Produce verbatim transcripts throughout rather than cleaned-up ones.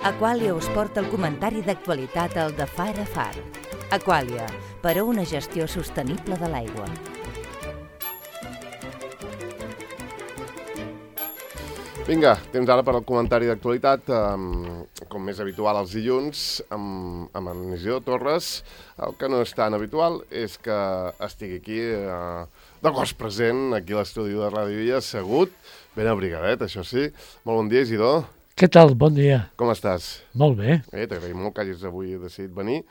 Aqualia us porta el comentari d'actualitat al de Far a Far. Aqualia, per a una gestió sostenible de l'aigua. Vinga, temps ara per al comentari d'actualitat, um, com més habitual els dilluns, amb, amb en Isidor Torres. El que no és tan habitual és que estigui aquí uh, de cos present, aquí a l'estudi de Ràdio Illa, assegut, ben abrigadet, això sí. Molt bon dia, Isidor. Què tal? Bon dia. Com estàs? Molt bé. Eh, T'agraïm molt que hagis avui decidit venir.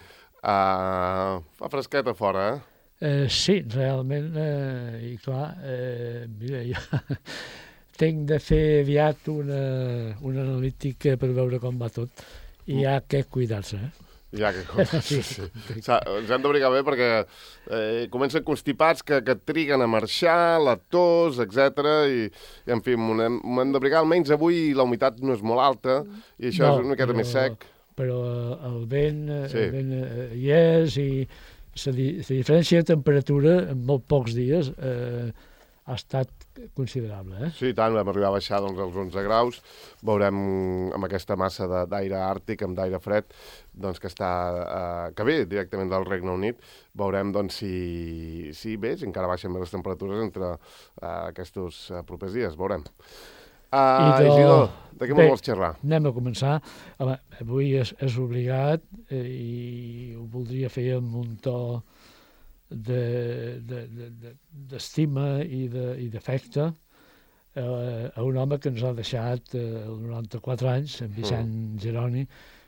Uh, fa fresqueta fora, eh? Eh, sí, realment, eh, i clar, eh, mira, jo tinc de fer aviat una, una analítica per veure com va tot, i hi ha que cuidar-se, eh? Ja, que cosa, sí, sí. Ens hem d'abrigar bé perquè eh, comencen constipats que, que triguen a marxar, la tos, etcètera. I, i, en fi, m'ho hem, hem d'abrigar. Almenys avui la humitat no és molt alta i això no, és una miqueta però, més sec. Però el vent, Sí. el vent eh, hi és, i la, di la diferència de temperatura en molt pocs dies eh, ha estat considerable, eh? Sí, i tant, vam arribar a baixar doncs, als onze graus. Veurem amb aquesta massa d'aire àrtic, amb d'aire fred, doncs, que, està, eh, que ve directament del Regne Unit. Veurem doncs, si, si bé, si encara baixen més les temperatures entre eh, aquests eh, propers dies. Veurem. Uh, de... Isidor, de què Bé, vols xerrar? Anem a començar. Home, avui és, és obligat eh, i ho voldria fer amb un to d'estima de, de, de, i d'afecte eh, a un home que ens ha deixat eh, als noranta-quatre anys, en Vicent mm. Geroni,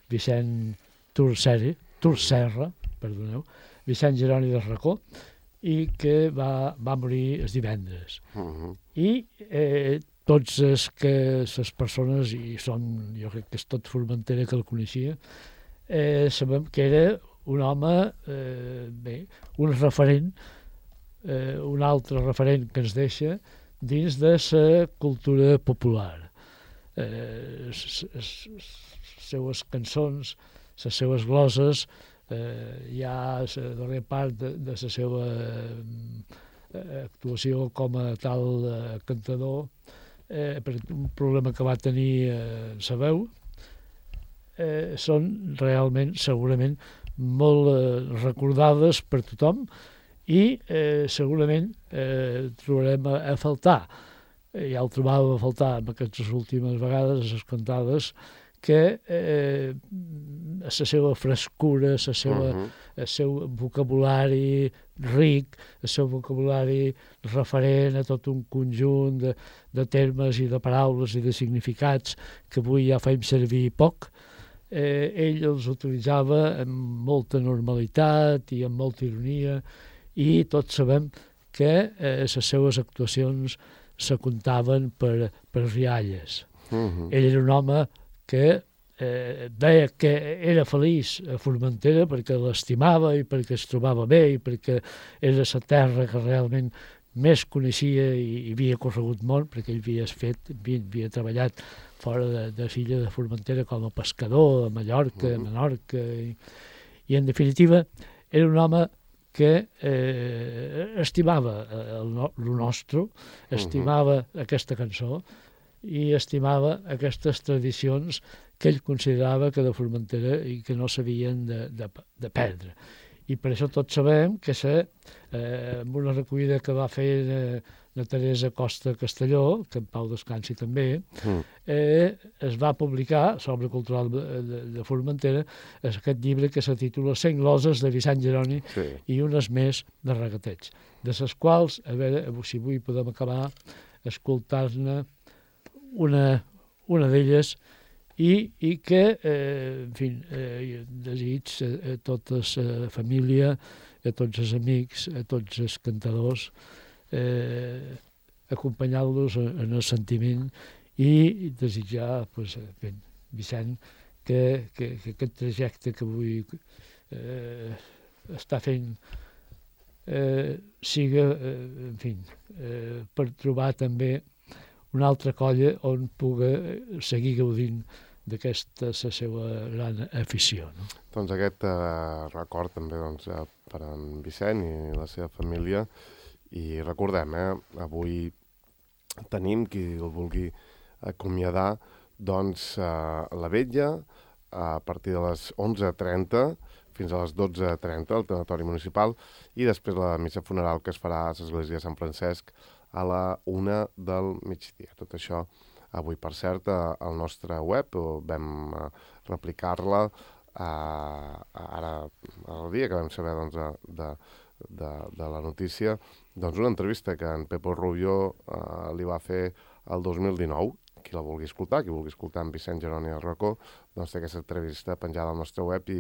Vicent Turceri, Turcerra, perdoneu, Vicent Geroni de Racó, i que va, va morir els divendres. Mm-hmm. I eh, tots els que les persones, i són, jo crec que és tot Formentera que el coneixia, eh, sabem que era un home, eh, bé, un referent, eh, un altre referent que ens deixa dins de la cultura popular. Eh, les seues cançons, les seues gloses, eh, hi ha la darrera part de, de la seva eh, actuació com a tal eh, cantador, eh, per un problema que va tenir eh, la veu, eh, són realment, segurament, molt eh, recordades per tothom i eh, segurament eh, trobarem a, a faltar. Eh, ja el trobàvem a faltar en aquestes últimes vegades, les cantades, que eh, la seva frescura, la seva, uh-huh. el seu vocabulari ric, el seu vocabulari referent a tot un conjunt de, de termes i de paraules i de significats que avui ja fem servir poc, Eh, ell els utilitzava amb molta normalitat i amb molta ironia, i tots sabem que eh, les seues actuacions se comptaven per, per rialles. Uh-huh. Ell era un home que eh, deia que era feliç a Formentera perquè l'estimava i perquè es trobava bé i perquè era la terra que realment més coneixia i, i havia corregut molt, perquè ell havia fet, havia, havia treballat fora de, de l'illa de Formentera com a pescador, a Mallorca, a Menorca, i, i en definitiva era un home que eh, estimava el, el nostre, estimava uh-huh. aquesta cançó i estimava aquestes tradicions que ell considerava que de Formentera i que no s'havien de, de, de perdre. I per això tots sabem que se, eh, amb una recollida que va fer eh, la Teresa Costa Castelló, que en Pau descansi també, mm. eh, es va publicar, sobre cultural de, de, de Formentera, aquest llibre que se titula Cent gloses de Vicent Geroni sí. i unes més de regateig, de les quals, a veure, si avui podem acabar escoltar-ne una, una d'elles, i, i que, eh, en fi, eh, desig a, a tota la família, a tots els amics, a tots els cantadors, eh, acompanyant-los en el sentiment i desitjar, pues, ben, Vicent, que, que, que aquest trajecte que avui eh, està fent eh, siga, eh, en fi, eh, per trobar també una altra colla on pugui seguir gaudint d'aquesta la seva gran afició. No? Doncs aquest eh, record també doncs, per en Vicent i la seva família. I recordem, eh, avui tenim, qui el vulgui acomiadar, doncs eh, la vetlla a partir de les onze trenta fins a les dotze trenta al tanatori municipal, i després la missa funeral que es farà a l'església de Sant Francesc a la una del migdia. Tot això avui, per cert, al nostre web vam replicar-la ara, el dia que vam saber doncs, de, de, de la notícia, doncs una entrevista que en Pepo Rubio eh, li va fer el dos mil dinou. Qui la vulgui escoltar, qui vulgui escoltar en Vicent Geroni al racó, doncs té aquesta entrevista penjada al nostre web i,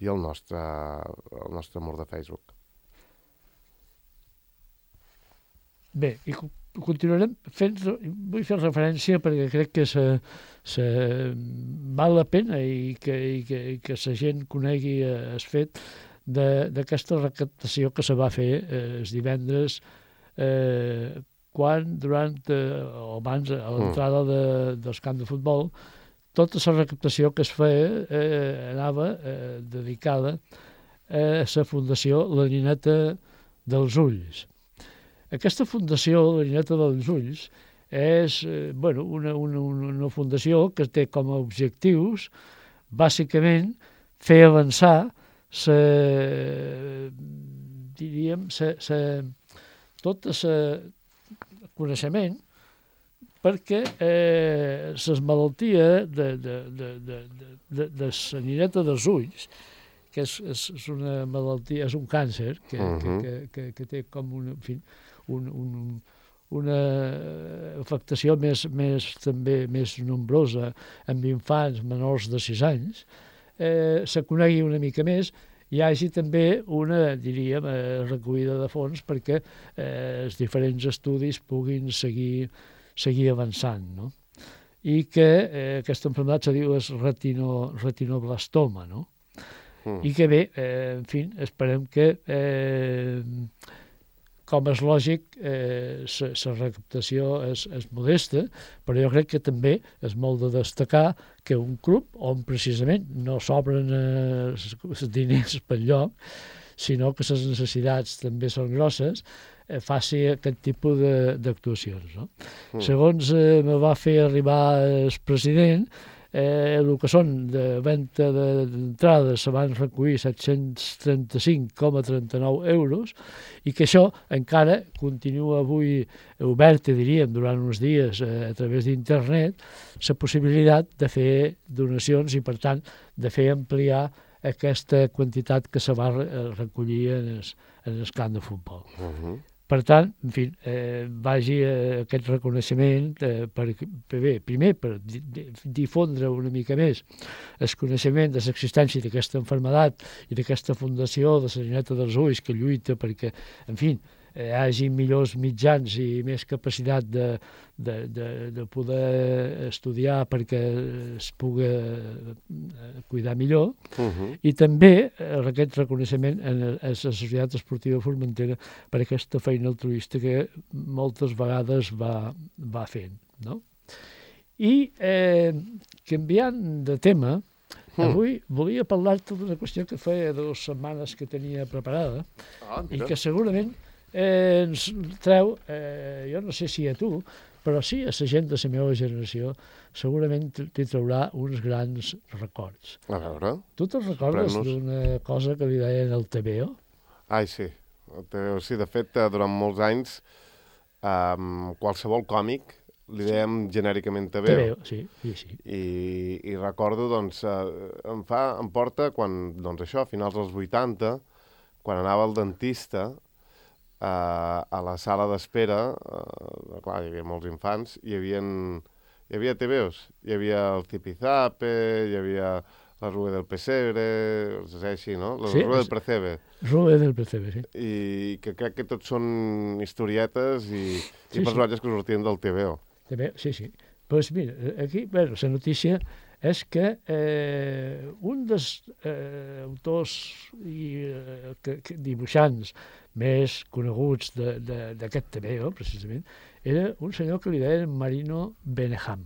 i al nostre, al nostre mur de Facebook. Bé, i continuarem fent, vull fer referència perquè crec que se, se val la pena i que, i que, i que la gent conegui el fet d'aquesta recaptació que se va fer eh, els divendres eh, quan, durant eh, o abans, a l'entrada de, del camp de futbol, tota la recaptació que es feia eh, anava eh, dedicada a la Fundació La Nineta dels Ulls. Aquesta Fundació La Nineta dels Ulls és eh, bueno, una, una, una fundació que té com a objectius, bàsicament, fer avançar sa, diríem, sa, sa, tot el coneixement, perquè eh, les malalties de, de, de, de, de, de la nineta dels ulls, que és, és una malaltia, és un càncer que, uh -huh. que, que, que té com una, en fi, un, un, una afectació més, més, també més nombrosa amb infants menors de sis anys, eh, se conegui una mica més, hi hagi també una, diríem, eh, recollida de fons perquè eh, els diferents estudis puguin seguir, seguir avançant, no? I que eh, aquesta malaltia se diu és retino, retinoblastoma, no? Mm. I que bé, eh, en fi, esperem que, eh, com és lògic, eh, la recaptació és, és modesta, però jo crec que també és molt de destacar que un club on precisament no s'obren els diners per lloc, sinó que les necessitats també són grosses, eh, faci aquest tipus d'actuacions. No? Mm. Segons eh, me va fer arribar el president, eh, el que són de venda d'entrada se van recollir set-cents trenta-cinc coma trenta-nou euros i que això encara continua avui obert, diríem, durant uns dies eh, a través d'internet, la possibilitat de fer donacions i, per tant, de fer ampliar aquesta quantitat que se va recollir en el, en el camp de futbol. Uh-huh. Per tant, en fi, eh, vagi eh, aquest reconeixement eh, per, per bé, primer per di, difondre una mica més el coneixement de l'existència d'aquesta malaltia i d'aquesta fundació de la Nineta dels Ulls que lluita perquè, en fi, hi hagi millors mitjans i més capacitat de, de, de, de poder estudiar perquè es pugui cuidar millor, uh-huh. i també aquest reconeixement en la Societat Esportiva Formentera per aquesta feina altruista que moltes vegades va, va fent. No? I eh, canviant de tema, mm. avui volia parlar-te d'una qüestió que feia dues setmanes que tenia preparada ah, i que segurament Eh, ens treu, eh, jo no sé si a tu, però sí a la gent de la meva generació, segurament t'hi traurà uns grans records. A veure. Tu te'n recordes d'una cosa que li deien el T V O? Ai, sí. El T V O, sí. De fet, durant molts anys, um, qualsevol còmic li dèiem genèricament T V O. T V O, sí. sí, sí. I, i recordo, doncs, eh, em, fa, em porta quan, doncs això, a finals dels vuitanta, quan anava al dentista, Uh, a la sala d'espera, uh, clar, hi havia molts infants, hi havia, hi havia T V Os, hi havia el Zipizape, hi havia la Rue del Pesebre, és així, no? La sí, Rue del Percebe. Rue del Percebe, sí. I que crec que tots són historietes i, sí, i personatges sí. que sortien del T V O. T V O, sí, sí. Doncs pues mira, aquí, bueno, la notícia és que eh, un dels eh, autors i eh, que, que, dibuixants més coneguts d'aquest T V O, precisament, era un senyor que li deien Marino Beneham.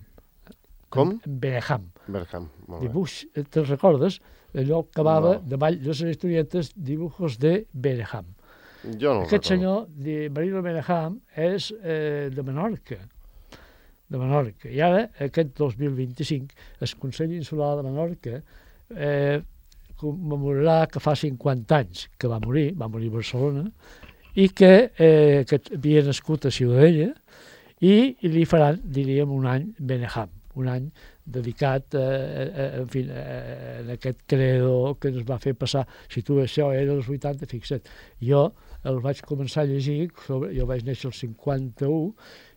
Com? Beneham. Beneham, molt bé. Dibuix, te'n recordes? Allò que acabava no. davall de les historietes Dibujos de Beneham. Jo no Aquest senyor, de Marino Beneham, és eh, de Menorca. de Menorca. I ara, aquest dos mil vint-i-cinc, el Consell Insular de Menorca eh, commemorarà que fa cinquanta anys que va morir, va morir a Barcelona, i que, eh, que havia nascut a Ciutadella, i, i li faran, diríem, un any Beneham, un any dedicat a, a, en fi, a, a aquest credo que ens va fer passar. Si tu això era als vuitanta, fixa't, jo el vaig començar a llegir, sobre, jo vaig néixer el cinquanta-u,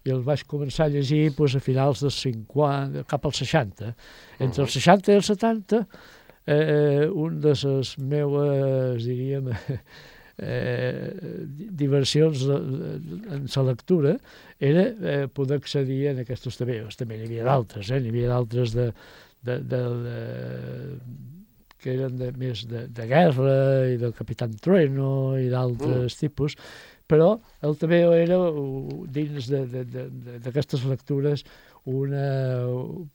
i el vaig començar a llegir doncs, a finals dels cinquanta, cap als seixanta. Entre els seixanta i els setanta, eh, un de les meues, diríem, eh, diversions en la lectura era eh, poder accedir a aquests tebeos. També n'hi havia d'altres, eh? N'hi havia d'altres de, de, de, de, que eren de, més de, de guerra i del Capitán Trueno i d'altres mm. tipus, però el tebeo era, dins d'aquestes lectures, una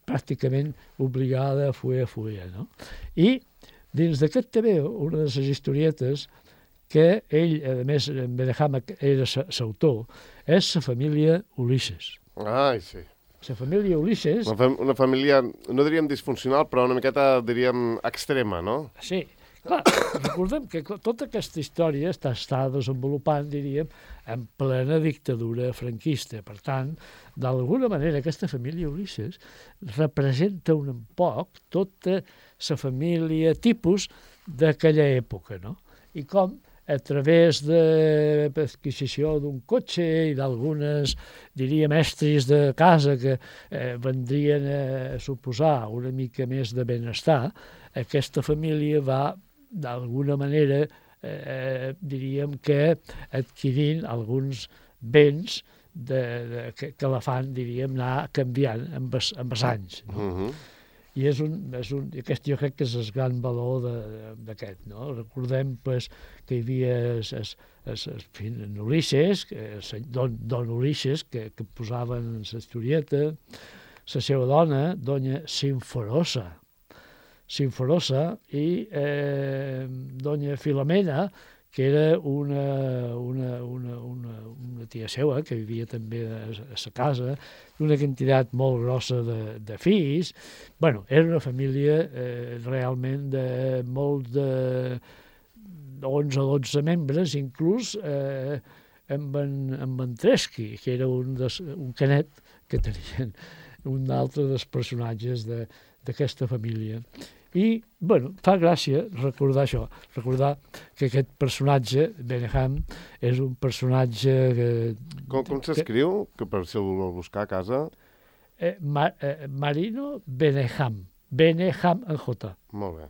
pràcticament obligada a fuer a fuer, no? I dins d'aquest tebeo, una de les historietes que ell, a més, en Beneham era l'autor, és la família Ulisses. Ai, sí. La família Ulisses... Una, fam una família, no diríem disfuncional, però una miqueta, diríem, extrema, no? Sí. Clar, recordem que tota aquesta història està, està desenvolupant, diríem, en plena dictadura franquista. Per tant, d'alguna manera, aquesta família Ulisses representa un poc tota la família tipus d'aquella època, no? I com a través de l'adquisició d'un cotxe i d'algunes, diríem, estris de casa que eh, vendrien a suposar una mica més de benestar, aquesta família va, d'alguna manera, eh, diríem que adquirint alguns béns de, de, que, que la fan, diríem, anar canviant amb els, amb els anys. No? Uh-huh. I és un, és un, aquest jo crec que és el gran valor d'aquest, no? Recordem pues, que hi havia es, es, es, es, en Ulisses, es, don, don Ulisses, que, que posaven en la historieta, la seva dona, doña Sinforosa, Sinforosa, i eh, doña Filomena, que era una, una, una, una, una tia seva, que vivia també a sa casa, una quantitat molt grossa de, de fills. Bueno, era una família eh, realment de molt de onze o dotze membres, inclús eh, amb, en, amb en Tresqui, que era un, des, un canet que tenien un altre dels personatges d'aquesta de, família. I, bueno, fa gràcia recordar això, recordar que aquest personatge, Beneham, és un personatge... Que, com com s'escriu, que per si el vol buscar a casa? Eh, Ma, eh, Marino Beneham, Beneham en J. Molt bé.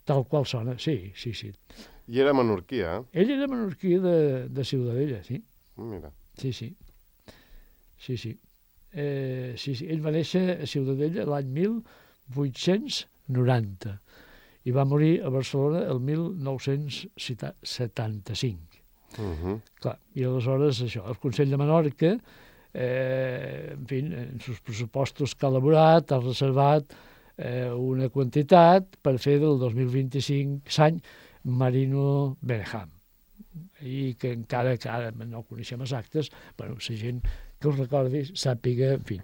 Tal qual sona, sí, sí, sí. I era menorquí, eh? Ell era menorquí de, de Ciutadella, sí. Mira. Sí, sí. Sí, sí. Eh, sí, sí. Ell va néixer a Ciutadella l'any mil vuit-cents noranta i va morir a Barcelona el mil nou-cents setanta-cinc. Uh-huh. Clar, i aleshores això, el Consell de Menorca, eh, en fi, en els pressupostos que ha elaborat, ha reservat eh, una quantitat per fer del dos mil vint-i-cinc l'any Marino Beneham. I que encara que ara no coneixem els actes, bueno, la gent que us recordi sàpiga, en fi,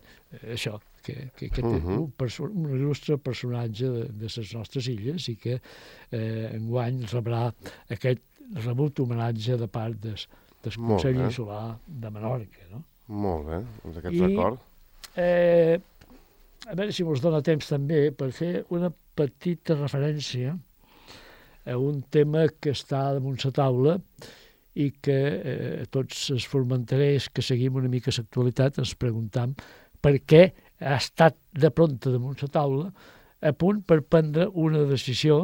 això, que, que, que té uh-huh. un, perso un il·lustre personatge de, de les nostres illes i que eh, enguany rebrà aquest rebut homenatge de part des, del Consell Insular de Menorca. No? Molt bé, doncs aquest I, record. Eh, a veure si us dona temps també per fer una petita referència a un tema que està damunt la taula i que eh, tots els formenterers que seguim una mica l'actualitat ens preguntam per què ha estat de prompte damunt la taula a punt per prendre una decisió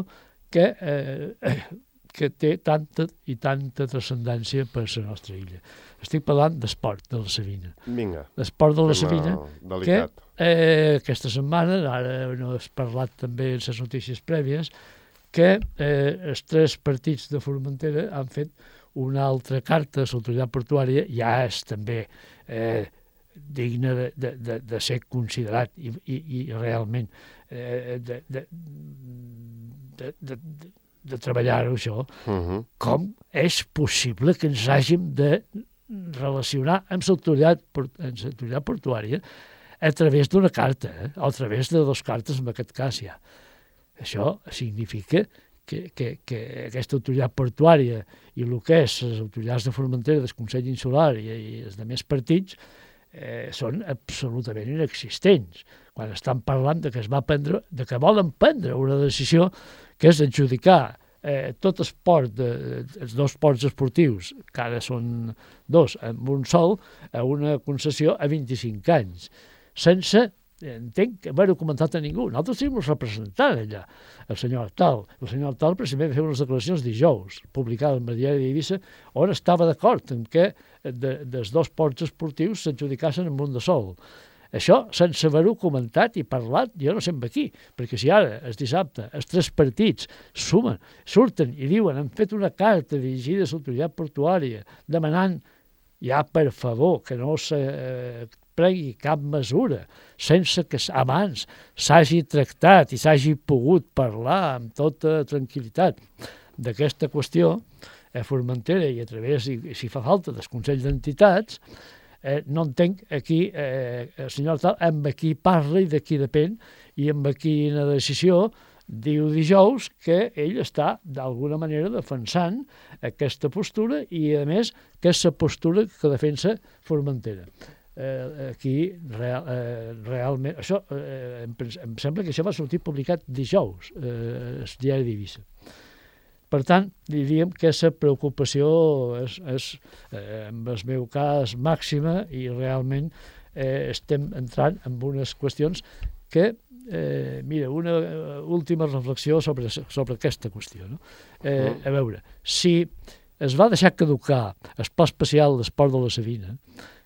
que, eh, que té tanta i tanta transcendència per a la nostra illa. Estic parlant d'esport de la Sabina. Vinga. L'esport de la Sabina, delicat. que eh, aquesta setmana, ara no has parlat també en les notícies prèvies, que eh, els tres partits de Formentera han fet una altra carta a l'autoritat portuària, ja és també eh, digne de, de, de, de ser considerat i, i, i realment eh, de, de, de, de, de treballar-ho això. Uh-huh. Com és possible que ens hàgim de relacionar amb l'autoritat portuària a través d'una carta, eh? o a través de dues cartes, en aquest cas ja. Això significa que, que, que aquesta autoritat portuària i el que és les autoritats de Formentera, del Consell Insular i, i els altres partits eh, són absolutament inexistents. Quan estan parlant de que es va prendre, de que volen prendre una decisió que és adjudicar eh, tot el port, de, els dos ports esportius, que ara són dos, amb un sol, a una concessió a vint-i-cinc anys, sense, entenc, haver-ho comentat a ningú. Nosaltres tenim un representant allà, el senyor Artal. El senyor Artal precisament va fer unes declaracions dijous, publicades en el diari d'Eivissa, on estava d'acord en què de, dels dos ports esportius s'adjudicassin amb un de sol. Això, sense haver-ho comentat i parlat, jo no sé amb aquí, perquè si ara, el dissabte, els tres partits sumen, surten i diuen, han fet una carta dirigida a l'autoritat portuària demanant, ja per favor, que no se eh, pregui cap mesura, sense que abans s'hagi tractat i s'hagi pogut parlar amb tota tranquil·litat d'aquesta qüestió, a Formentera i a través, si fa falta, dels Consells d'Entitats, Eh, no entenc aquí eh, el senyor tal amb qui parla i de qui depèn i amb quina decisió diu dijous que ell està d'alguna manera defensant aquesta postura i a més que és la postura que defensa Formentera. Eh, aquí real, eh, realment això, eh, em, em sembla que això va sortir publicat dijous eh, el diari d'Eivissa. Per tant, diríem que aquesta preocupació és, és eh, en el meu cas, màxima i realment eh, estem entrant en unes qüestions que, eh, mira, una última reflexió sobre, sobre aquesta qüestió. No? Eh, a veure, si es va deixar caducar el pla especial d'esport de la Sabina,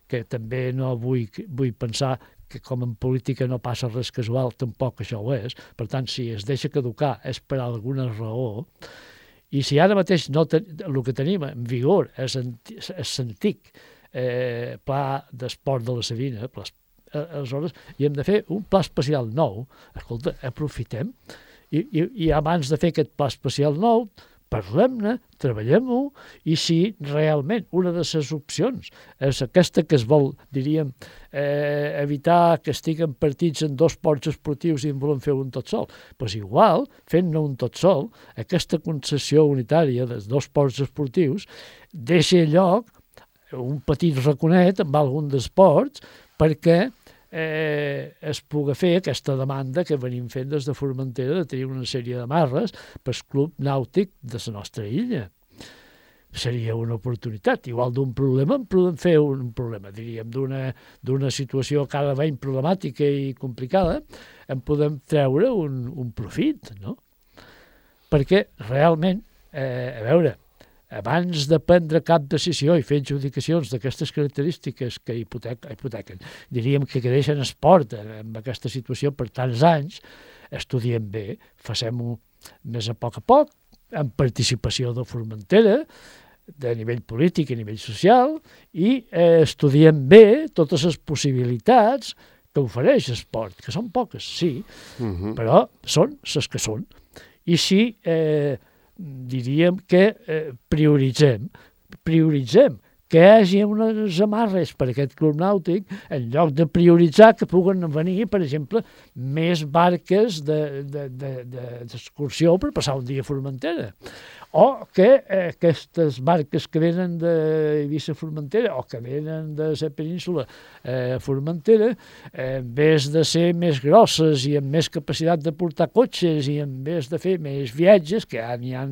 que també no vull, vull pensar que com en política no passa res casual, tampoc això ho és, per tant, si es deixa caducar és per alguna raó. I si ara mateix no ten, el que tenim en vigor és l'antic eh, pla d'esport de la Sabina, pla, aleshores hi hem de fer un pla especial nou. Escolta, aprofitem i, i, i abans de fer aquest pla especial nou, parlem-ne, treballem-ho, i si realment una de les opcions és aquesta que es vol, diríem, eh, evitar que estiguen partits en dos ports esportius i en volem fer un tot sol, doncs igual, fent-ne un tot sol, aquesta concessió unitària dels dos ports esportius deixa lloc un petit raconet amb algun dels ports perquè Eh, es pugui fer aquesta demanda que venim fent des de Formentera de tenir una sèrie de marres pel club nàutic de la nostra illa. Seria una oportunitat. Igual d'un problema en podem fer un problema, diríem, d'una, d'una situació cada vegada problemàtica i complicada, en podem treure un, un profit, no? Perquè realment, eh, a veure, abans de prendre cap decisió i fer adjudicacions d'aquestes característiques que hipotequen, hipotequen diríem que deixen esport en aquesta situació per tants anys, estudiem bé, facem-ho més a poc a poc, amb participació de Formentera, de nivell polític i nivell social, i eh, estudiem bé totes les possibilitats que ofereix l'esport, que són poques, sí, uh-huh. però són les que són. I si eh, diríem que eh, prioritzem, prioritzem que hi hagi unes amarres per aquest club nàutic en lloc de prioritzar que puguen venir, per exemple, més barques d'excursió de, de, de, per passar un dia a Formentera. O que eh, aquestes barques que venen d'Eivissa a Formentera o que venen de la península eh, a Formentera, eh, en vez de ser més grosses i amb més capacitat de portar cotxes i en vez de fer més viatges, que ja n'hi ha,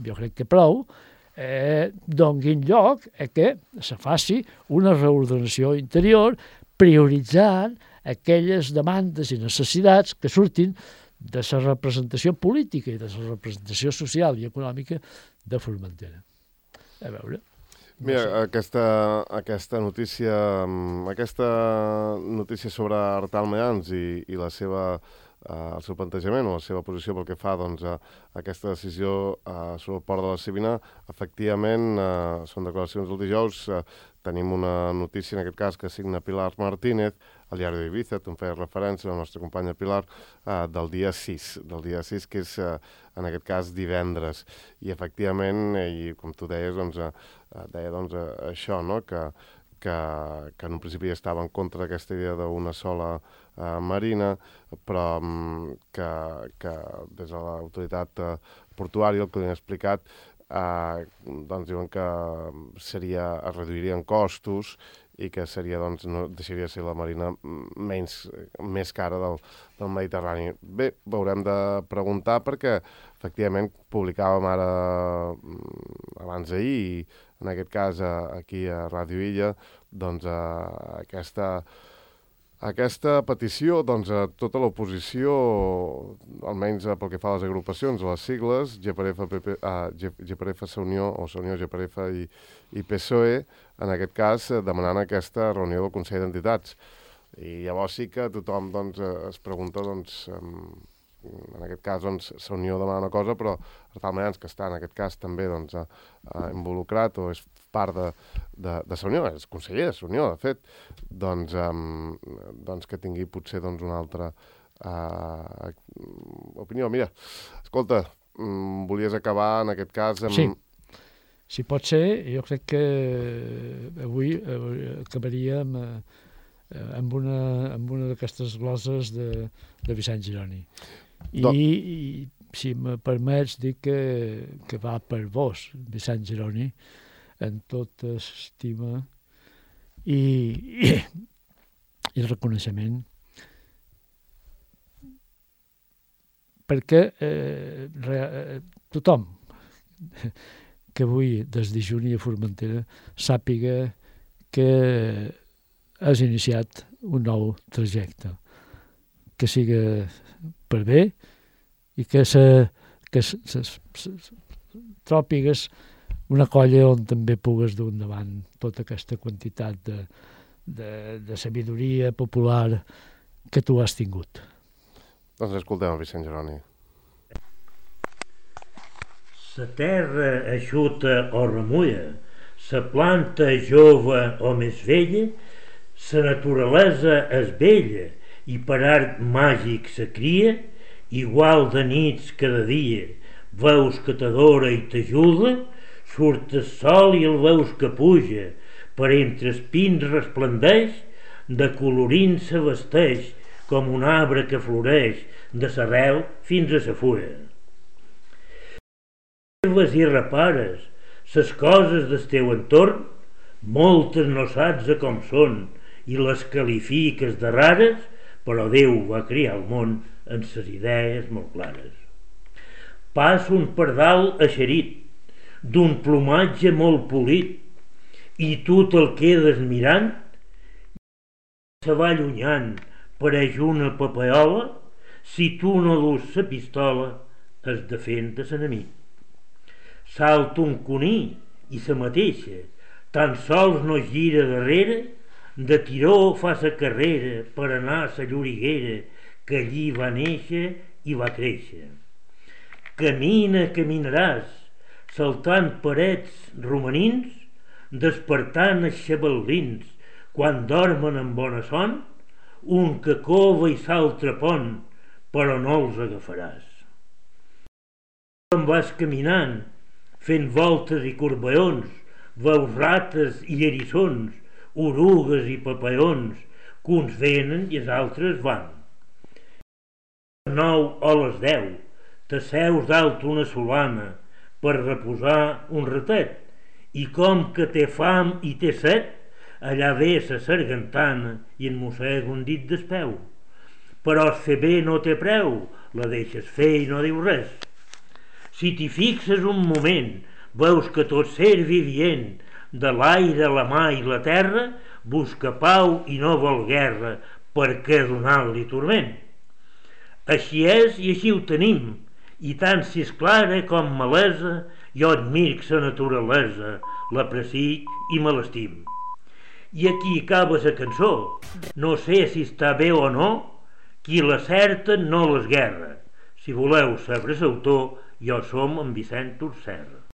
jo crec que prou, eh, donguin lloc a que se faci una reordenació interior prioritzant aquelles demandes i necessitats que surtin de la representació política i de la representació social i econòmica de Formentera. A veure... Mira, no sé. aquesta, aquesta notícia aquesta notícia sobre Artal Mayans i, i la seva, uh, el seu plantejament o la seva posició pel que fa doncs, a, a aquesta decisió uh, sobre el port de la Sabina, efectivament, uh, són declaracions del dijous, uh, tenim una notícia, en aquest cas, que signa Pilar Martínez, al diari d'Eivissa, tu em feies referència, la nostra companya Pilar, eh, del dia sis, del dia sis, que és, eh, en aquest cas, divendres. I, efectivament, eh, i com tu deies, doncs, eh, deia doncs, eh, això, no?, que, que, que en un principi estava en contra d'aquesta idea d'una sola eh, marina, però um, que, que des de l'autoritat eh, portuària, el que li han explicat, eh, doncs diuen que seria, es reduirien costos i que seria, doncs, no, deixaria de ser la marina menys, més cara del, del Mediterrani. Bé, haurem de preguntar perquè, efectivament, publicàvem ara, abans d'ahir, i en aquest cas aquí a Ràdio Illa, doncs, aquesta, aquesta petició, doncs, a tota l'oposició, almenys pel que fa a les agrupacions, les sigles, G P R F, P P, ah, G P R F, Unió, o Unió, G P R F i, i P S O E, en aquest cas, demanant aquesta reunió del Consell d'Entitats. I llavors sí que tothom doncs, es pregunta, doncs, en aquest cas, doncs, la Unió demana una cosa, però Artal que està en aquest cas també doncs, involucrat o és part de, de, de la Unió, és conseller de la Unió, de fet, doncs, um, doncs que tingui potser doncs, una altra uh, opinió. Mira, escolta, um, volies acabar en aquest cas amb... Sí. Si pot ser, jo crec que avui acabaríem amb una, amb una d'aquestes gloses de, de Vicent Gironi. I, Do... i si me permets dir que, que va per vos, Vicent Gironi, en tota estima i, i, i reconeixement, perquè eh, re, tothom que avui des de Juni a Formentera sàpiga que has iniciat un nou trajecte, que siga per bé i que se, que se, se, se, se tròpigues una colla on també pugues dur endavant tota aquesta quantitat de, de, de sabidoria popular que tu has tingut. Doncs escoltem el Vicent Gironi. La terra eixuta o remulla, la planta jove o més vella, la naturalesa és bella i per art màgic se cria, igual de nits cada dia, veus que t'adora i t'ajuda, surt el sol i el veus que puja, per entre els pins resplendeix, de colorins se vesteix, com un arbre que floreix, de l'arrel fins a la fulla. Observes i repares les coses del teu entorn, moltes no saps a com són i les qualifiques de rares, però Déu va crear el món amb ses idees molt clares. Passa un pardal eixerit, d'un plomatge molt polit, i tu te'l quedes mirant, i se va allunyant, pareix una papeola, si tu no dus la pistola, es defèn de l'enemic. Salta un cuní i sa mateixa, tan sols no gira darrere, de tiró fa sa carrera per anar a sa lloriguera que allí va néixer i va créixer. Camina, caminaràs, saltant parets romanins, despertant els xabal·lins quan dormen en bona son, un que cova i s'altre pont, però no els agafaràs. Quan vas caminant, fent voltes i corbaons, veus rates i erissons, orugues i papeons, que uns venen i els altres van. A les nou o les deu t'asseus dalt una solana per reposar un ratet, i com que té fam i té set, allà ve sa sargantana i en mossega un dit del peu. Però el fer bé no té preu, la deixes fer i no diu res. Si t'hi fixes un moment, veus que tot ser vivient, de l'aire, la mà i la terra, busca pau i no vol guerra, perquè donar-li turment. Així és i així ho tenim, i tant si és clara com malesa, jo admirc sa naturalesa, l'aprecic i me l'estim. I aquí acaba sa cançó, no sé si està bé o no, qui l'acerta no l'esguerra. Si voleu saber l'autor, jo som en Vicent Urserra.